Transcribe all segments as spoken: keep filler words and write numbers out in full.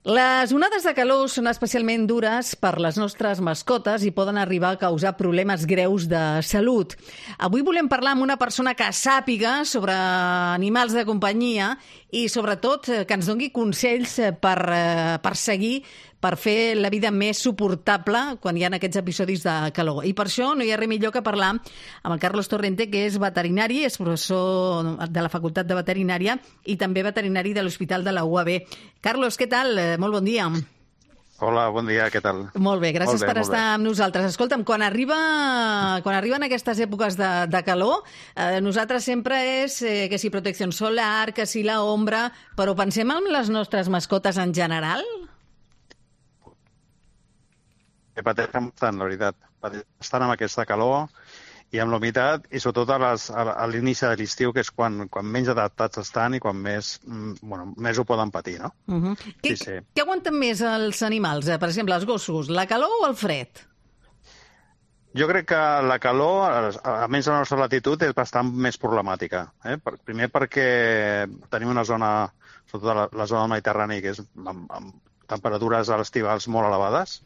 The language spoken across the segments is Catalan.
Les onades de calor són especialment dures per les nostres mascotes i poden arribar a causar problemes greus de salut. Avui volem parlar amb una persona que sàpiga sobre animals de companyia i, sobretot, que ens doni consells per, per seguir, per fer la vida més suportable quan hi ha aquests episodis de calor. I per això no hi ha res millor que parlar amb el Carlos Torrente, que és veterinari, és professor de la Facultat de Veterinària i també veterinari de l'Hospital de la U A B. Carlos, què tal? Molt bon dia. Hola, bon dia, què tal? Molt bé, gràcies molt bé, per estar bé. amb nosaltres. Escolta'm, quan, arriba, quan arriben aquestes èpoques de, de calor, eh, nosaltres sempre és eh, que si protecció solar, que si la ombra, però pensem en les nostres mascotes en general? Pateixen bastant, la veritat. Estan amb aquesta calor i amb l'humitat, i sobretot a, les, a l'inici de l'estiu, que és quan, quan menys adaptats estan i quan més, bueno, més ho poden patir, no? Uh-huh. Què, sí, sí. Què aguanten més els animals? Per exemple, els gossos, la calor o el fred? Jo crec que la calor, almenys a la nostra latitud, és bastant més problemàtica. Eh? Primer perquè tenim una zona, sobretot la, la zona del Mediterrani, que és amb, amb temperatures a l'estivals molt elevades,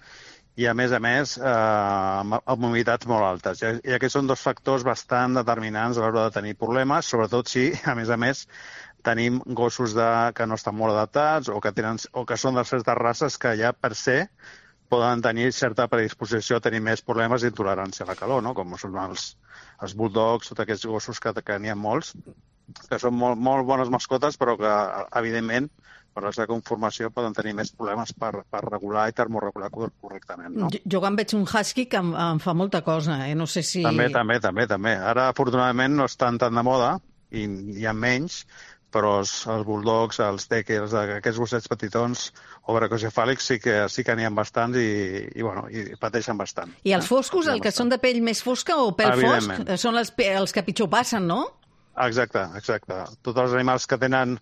i, a més a més, eh, amb, amb humitats molt altes. I, I aquests són dos factors bastant determinants a l'hora de tenir problemes, sobretot si, a més a més, tenim gossos de, que no estan molt adaptats o que, tenen, o que són de certes races que ja per se poden tenir certa predisposició a tenir més problemes d'intolerància a la calor, no? Com són els, els bulldogs, tots aquests gossos que, que n'hi ha molts, que són molt, molt bones mascotes, però que, evidentment, per la seva conformació poden tenir més problemes per, per regular i termorregular correctament, no? Jo, jo quan veig un husky que em, em fa molta cosa, eh? No sé si... També, també, també, també. Ara, afortunadament, no estan tan de moda i hi ha menys, però els, els bulldogs, els teckers, aquests gossets petitons o bracocefàlics sí que sí que n'hi ha bastants i, i, bueno, i pateixen bastant. I els foscos, eh? el que bastant. Són de pell més fosca o pèl fosc, són els, els que pitjor passen, no? Exacte, exacte. Tots els animals que tenen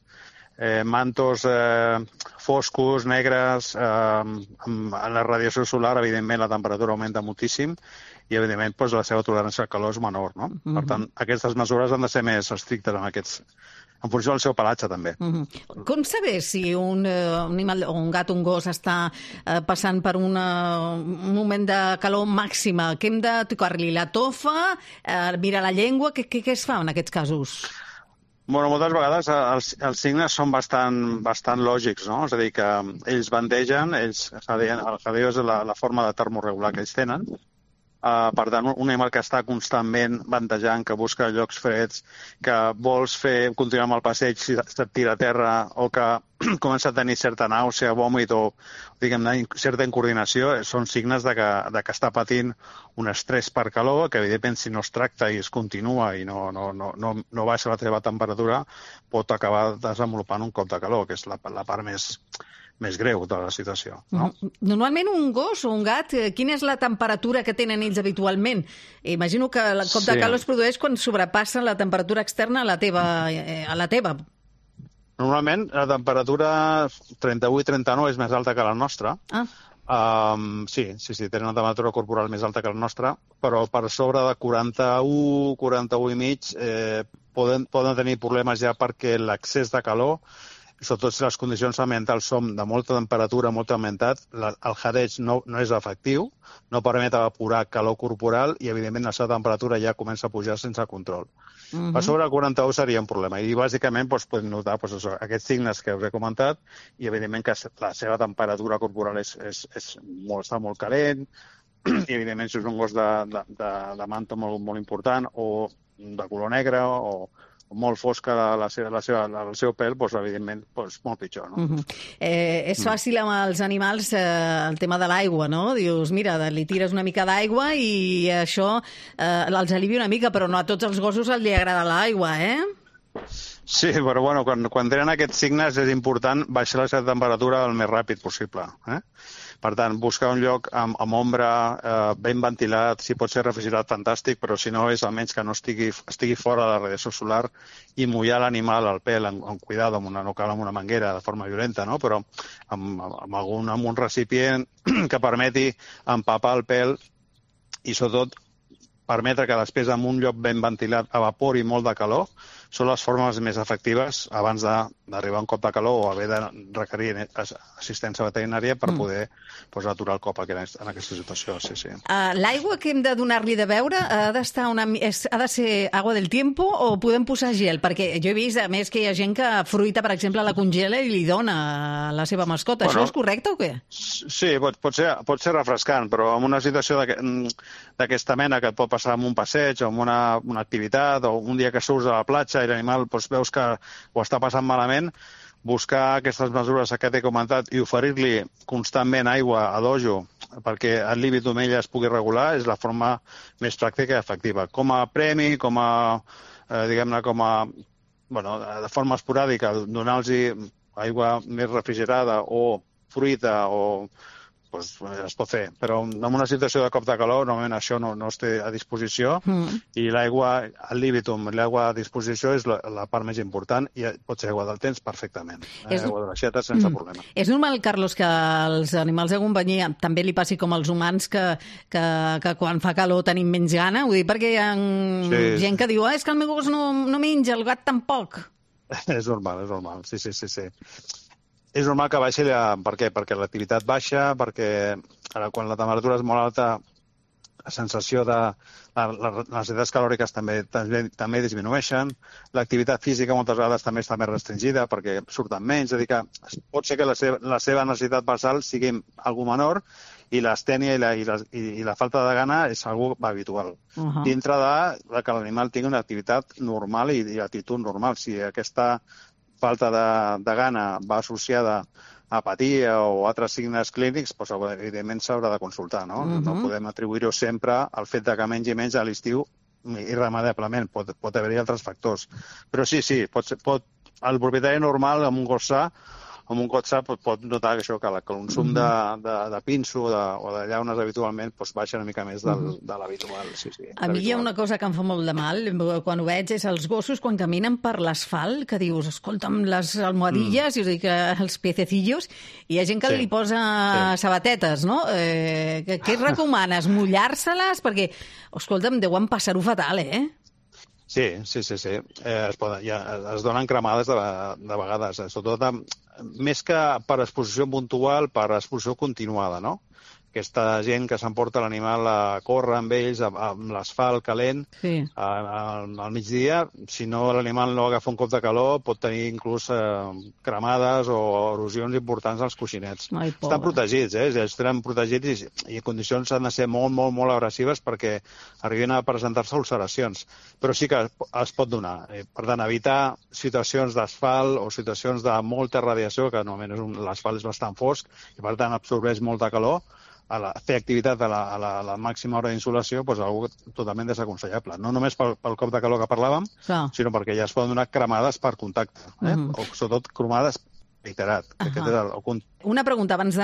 Eh, mantos eh, foscos, negres, eh, amb la radiació solar, evidentment, la temperatura augmenta moltíssim i, evidentment, doncs, la seva tolerància al calor és menor, no? Uh-huh. Per tant, aquestes mesures han de ser més estrictes en aquests, en funció del seu pelatge, també. Uh-huh. Com saber si un, uh, un animal, o un gat o un gos està uh, passant per una, un moment de calor màxima? Que hem de tocar-li la tofa, uh, mirar la llengua? Què, què, què es fa en aquests casos? Bueno, moltes vegades els, els signes són bastant, bastant lògics, no? És a dir, que ells bandegen, ells, el jadeo és la, la forma de termorregular que ells tenen. Uh, per tant, un animal que està constantment bandejant, que busca llocs freds, que vols fer continuar amb el passeig si et tira a terra o que comença a tenir certa nàusea, vòmit o, diguem-ne, certa incoordinació, són signes de que, de que està patint un estrès per calor, que evidentment si no es tracta i es continua i no, no, no, no, no baixa la teva temperatura, pot acabar desenvolupant un cop de calor, que és la, la part més... més greu de la situació, no? Normalment un gos o un gat, quina és la temperatura que tenen ells habitualment? Imagino que el cop sí. de calor es produeix quan sobrepassa la temperatura externa a la teva. A la teva. Normalment la temperatura trenta-vuit trenta-nou és més alta que la nostra. Ah. Um, sí, sí, sí, tenen una temperatura corporal més alta que la nostra, però per sobre de quaranta-u, quaranta-u i mig eh, poden, poden tenir problemes ja perquè l'excés de calor, sobretot si les condicions ambientals són de molta temperatura, molt augmentat, la, el jadeig no, no és efectiu, no permet evaporar calor corporal i, evidentment, la seva temperatura ja comença a pujar sense control. Uh-huh. Per sobre el quaranta-u seria un problema i, bàsicament, doncs, podem notar doncs, això, aquests signes que us he comentat i, evidentment, que la seva temperatura corporal és, és, és molt, està molt calent i, evidentment, si és un gos de, de, de, de manta molt, molt important o de color negre o molt fosca la, la seva, la seva, el seu pèl, doncs, evidentment, doncs, molt pitjor. No? Uh-huh. eh, és fàcil amb els animals eh, el tema de l'aigua, no? Dius, mira, li tires una mica d'aigua i això eh, els alivia una mica, però no a tots els gossos els li agrada l'aigua, eh? Sí, però bueno, quan, quan tenen aquests signes és important baixar la seva temperatura el més ràpid possible. Eh? Per tant, buscar un lloc amb, amb ombra, eh, ben ventilat, si pot ser refrigerat, fantàstic, però si no és almenys que no estigui, estigui fora de la radiació solar i mullar l'animal al pèl amb, amb cuidado, amb una, no cal amb una manguera de forma violenta, no? Però amb, amb, algun, amb un recipient que permeti empapar el pèl i, sobretot, permetre que després en un lloc ben ventilat evapori molt de calor, són les formes més efectives abans d'arribar a un cop de calor o haver de requerir assistència veterinària per poder pues, aturar el cop en aquesta situació. Sí, sí. Uh, L'aigua que hem de donar-li de beure ha d'estar una... És, ha de ser agua del tiempo o podem posar gel? Perquè jo he vist, a més, que hi ha gent que fruita, per exemple, la congela i li dona a la seva mascota. Bueno, això és correcte o què? Sí, pot, pot, ser, pot ser refrescant, però en una situació d'aquesta mena que et pot passar en un passeig o en una, una activitat o un dia que surts a la platja i l'animal doncs, veus que ho està passant malament, buscar aquestes mesures que t'he comentat i oferir-li constantment aigua a dojo perquè el límit d'omella es pugui regular és la forma més pràctica i efectiva. Com a premi, com a, eh, diguem-ne, com a, bueno, de forma esporàdica, donar-los aigua més refrigerada o fruita o pues, es pot fer, però en una situació de cop de calor normalment això no, no es té a disposició mm. i l'aigua al líbitum, l'aigua a disposició és la, la part més important i pot ser aigua del temps perfectament, és... aigua de l'aixeta sense mm. problema. És normal, Carlos, que als animals de companyia també li passi com als humans que, que, que quan fa calor tenim menys gana? Ho dic perquè hi ha sí. gent que diu ah, és que el meu gos no, no menja, el gat tampoc. És normal, és normal, sí, sí, sí, sí. És normal que baixi, per què? Perquè l'activitat baixa, perquè ara, quan la temperatura és molt alta, la sensació de... La, la, les necessitats calòriques també, també, també disminueixen, l'activitat física moltes vegades també està més restringida perquè surten menys, és a dir que pot ser que la seva, la seva necessitat basal sigui algo menor i l'astènia i la, i, la, i la falta de gana és algo habitual. Uh -huh. Dintre de, de que l'animal tingui una activitat normal i, i actitud normal. Si aquesta falta de, de gana va associada a apatia o altres signes clínics, doncs, evidentment s'haurà de consultar. No, uh-huh. no podem atribuir-ho sempre al fet de que mengi menys a l'estiu irremediablement. Pot, pot haver-hi altres factors. Però sí, sí, pot, pot, el propietari normal amb un gos sa amb un gos sa pot, pot notar que això que el consum de, de, de pinso de, o de llaunes habitualment doncs, baixa una mica més del, de l'habitual. Sí, sí, a mi hi ha una cosa que em fa molt de mal quan ho veig, és els gossos quan caminen per l'asfalt, que dius, escolta'm, les almohadilles, mm. i us dic, els piececillos, i hi ha gent que sí. li posa sí. sabatetes, no? Eh, què recomanes? Mullar-se-les? Perquè, escolta'm, deuen passar-ho fatal, eh? Sí, sí, sí, sí. Eh, es, poden, ja, es donen cremades de, de vegades, eh, sobretot amb, més que per exposició puntual, per exposició continuada, no? Aquesta gent que s'emporta l'animal a córrer amb ells, amb l'asfalt calent, sí. a, a, al migdia, si no l'animal no agafa un cop de calor, pot tenir inclús eh, cremades o erosions importants als coixinets. Ai, estan protegits, eh? Estan protegits i, i en condicions han de ser molt, molt, molt agressives perquè arribin a presentar-se ulceracions. Però sí que es pot donar. Per tant, evitar situacions d'asfalt o situacions de molta radiació, que normalment l'asfalt és bastant fosc i per tant absorbeix molta calor, a la, fer activitat a la, a la, a la màxima hora d'insolació, doncs algo totalment desaconsellable. No només pel, pel cop de calor que parlàvem, ah. sinó perquè ja es poden donar cremades per contacte, eh? Mm. o sobretot cremades reiterat. Uh -huh. és el, el... Una pregunta abans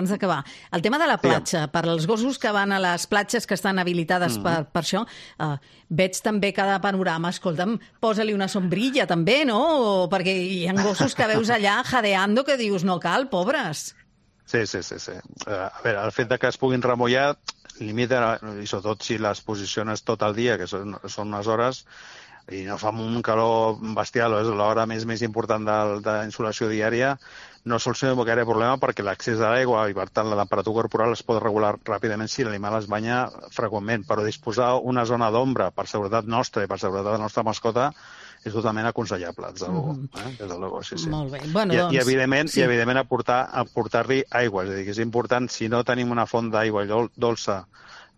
d'acabar. El tema de la platja, sí. per als gossos que van a les platges que estan habilitades mm. per, per això, uh, veig també cada panorama, escolta'm, posa-li una sombrilla també, no? O, perquè hi ha gossos que veus allà jadeando que dius, no cal, pobres. Sí, sí, sí. sí. Uh, a veure, el fet de que es puguin remullar limita, i sobretot si les posiciones tot el dia, que són, són unes hores, i no fa un calor bestial, és l'hora més més important de, de insolació diària, no soluciona gaire problema perquè l'accés a l'aigua i, per tant, la temperatura corporal es pot regular ràpidament si l'animal es banya freqüentment, però disposar una zona d'ombra per seguretat nostra i per seguretat de la nostra mascota és totalment aconsellable, des de luego. Mm. Eh? Des de luego, sí, sí. Molt bé. Bueno, I, doncs, i, evidentment, sí. i, evidentment aportar, aportar-li aigua. És a dir, que és important, si no tenim una font d'aigua dolça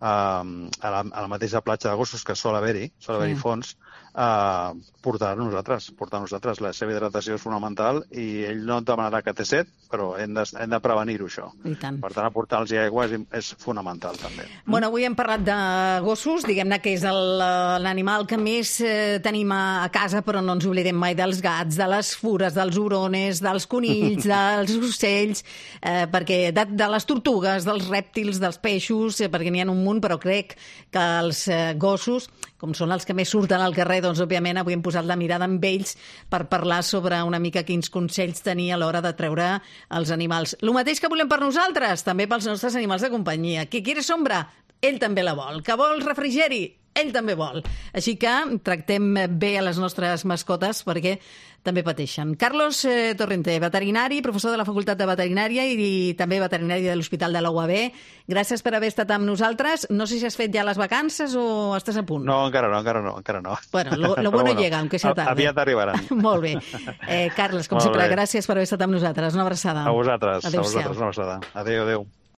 eh, a, la, a la mateixa platja de gossos, que sol haver-hi, sol haver-hi sí. fons, Uh, portar nosaltres, portar nosaltres. La seva hidratació és fonamental i ell no et demanarà que té set, però hem de, hem de prevenir-ho, això. I tant. Per tant, aportar-los aigua és, és fonamental, també. Bueno, avui hem parlat de gossos, diguem-ne que és l'animal que més eh, tenim a, a casa, però no ens oblidem mai dels gats, de les fures, dels hurones, dels conills, dels ocells, eh, perquè de, de les tortugues, dels rèptils, dels peixos, eh, perquè n'hi ha un munt, però crec que els eh, gossos, com són els que més surten al carrer, doncs, òbviament, avui hem posat la mirada amb ells per parlar sobre una mica quins consells tenir a l'hora de treure els animals. El mateix que volem per nosaltres, també pels nostres animals de companyia. Qui quiere sombra, ell també la vol. Que vol refrigeri, ell també vol. Així que tractem bé a les nostres mascotes perquè també pateixen. Carlos eh, Torrente, veterinari, professor de la Facultat de Veterinària i, i també veterinari de l'Hospital de la U A B. Gràcies per haver estat amb nosaltres. No sé si has fet ja les vacances o estàs a punt. No, encara no, encara no. Encara no. Bueno, lo, lo bueno, bueno llega, aunque sea tarde. Aviat arribaran. Molt bé. Eh, Carles, com Molt sempre, bé. gràcies per haver estat amb nosaltres. Una abraçada. A vosaltres, Adéu-siau. a vosaltres una abraçada. Adéu, adéu.